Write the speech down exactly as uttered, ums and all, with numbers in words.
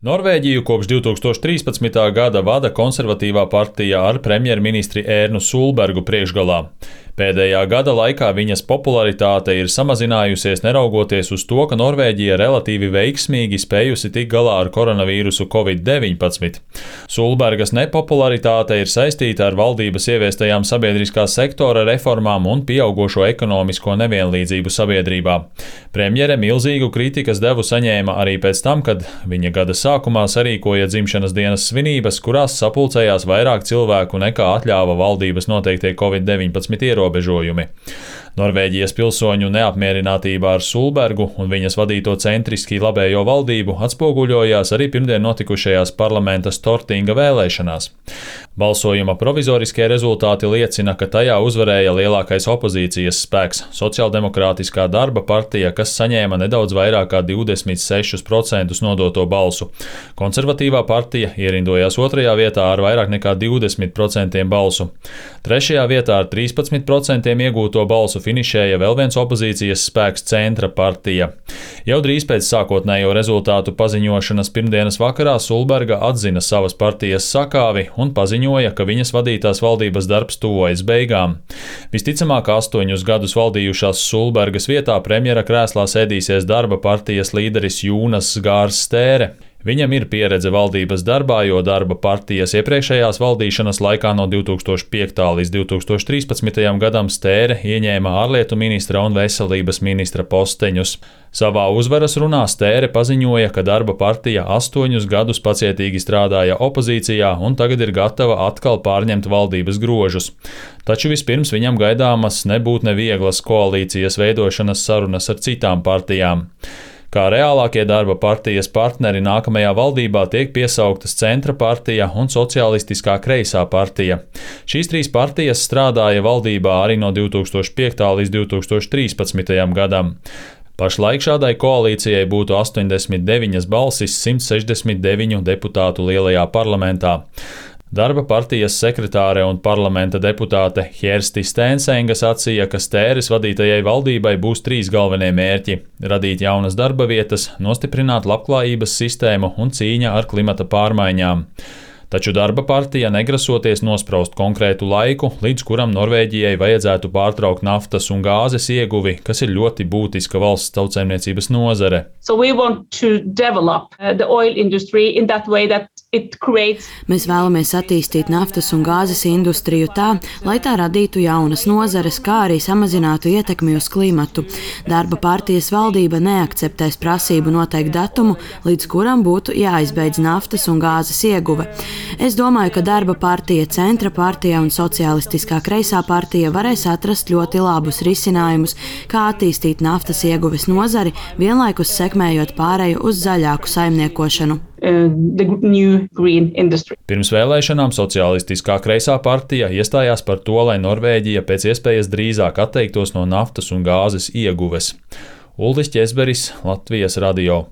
Norvēģiju kopš divi tūkstoši trīspadsmitā gada vada konservatīvā partija ar premjerministri Ērnu Sulbergu priekšgalā. Pēdējā gada laikā viņas popularitāte ir samazinājusies neraugoties uz to, ka Norvēģija relatīvi veiksmīgi spējusi tikt galā ar koronavīrusu covid deviņpadsmit. Sulbergas nepopularitāte ir saistīta ar valdības ieviestajām sabiedriskā sektora reformām un pieaugošo ekonomisko nevienlīdzību sabiedrībā. Premjere milzīgu kritikas devu saņēma arī pēc tam, kad viņa gada sākumā sarīkoja dzimšanas dienas svinības, kurās sapulcējās vairāk cilvēku nekā atļāva valdības noteiktie covid deviņpadsmit ierobežojumi. Norvēģijas pilsoņu neapmierinātība ar Sulbergu un viņas vadīto centriski labējo valdību atspoguļojās arī pirmdien notikušajās parlamenta Stortinga vēlēšanās. Balsojuma provizoriskie rezultāti liecina, ka tajā uzvarēja lielākais opozīcijas spēks – Sociāldemokrātiskā darba partija, kas saņēma nedaudz vairāk kā divdesmit sešus procentus nodoto balsu. Konservatīvā partija ierindojās otrajā vietā ar vairāk nekā divdesmit procentiem balsu. Trešajā vietā ar trīspadsmit procentiem iegūto balsu finišēja vēl viens opozīcijas spēks Centra partija. Jau drīz pēc sākotnējo rezultātu paziņošanas pirmdienas vakarā Sulberga atzina savas partijas sakāvi un paziņoja, ka viņas vadītās valdības darbs tuvojas beigām. Visticamāk, astoņus gadus valdījušās Sulbergas vietā premjera krēslā sēdīsies darba partijas līderis Jūnas Gārs Stēre. Viņam ir pieredze valdības darbā, jo darba partijas iepriekšējās valdīšanas laikā no divi tūkstoši piektā līdz divi tūkstoši trīspadsmitajam gadam Stēre ieņēma ārlietu ministra un veselības ministra posteņus. Savā uzvaras runā Stēre paziņoja, ka darba partija astoņus gadus pacietīgi strādāja opozīcijā un tagad ir gatava atkal pārņemt valdības grožus. Taču vispirms viņam gaidāmas nebūt nevieglas koalīcijas veidošanas sarunas ar citām partijām. Kā reālākie darba partijas partneri nākamajā valdībā tiek piesauktas Centra partija un Sociālistiskā kreisā partija. Šīs trīs partijas strādāja valdībā arī no divi tūkstoši piektā līdz divi tūkstoši trīspadsmitajam gadam. Pašlaik šādai koalīcijai būtu astoņdesmit deviņas balsis simt sešdesmit deviņu deputātu lielajā parlamentā. Darba partijas sekretāre un parlamenta deputāte Kjersti Steensenga sacīja, ka Stēres vadītajai valdībai būs trīs galvenie mērķi – radīt jaunas darba vietas, nostiprināt labklājības sistēmu un cīņa ar klimata pārmaiņām. Taču darba partija negrasoties nospraust konkrētu laiku, līdz kuram Norvēģijai vajadzētu pārtraukt naftas un gāzes ieguvi, kas ir ļoti būtiska valsts tautsaimniecības nozare. So we want to develop the oil industry in that way that it creates. Mēs vēlamies attīstīt naftas un gāzes industriju tā, lai tā radītu jaunas nozares, kā arī samazinātu ietekmi uz klimatu. Darba partijas valdība neakceptēs prasību noteikt datumu, līdz kuram būtu jāizbeidz naftas un gāzes ieguve. Es domāju, ka darba partija, Centra partija un Sociālistiskā kreisā partija varēs atrast ļoti labus risinājumus, kā attīstīt naftas ieguves nozari, vienlaikus sekmējot pāreju uz zaļāku saimniekošanu. Uh, the new green industry. Pirms vēlēšanām Sociālistiskā kreisā partija iestājās par to, lai Norvēģija pēc iespējas drīzāk atteiktos no naftas un gāzes ieguves. Uldis Ķesberis, Latvijas radio.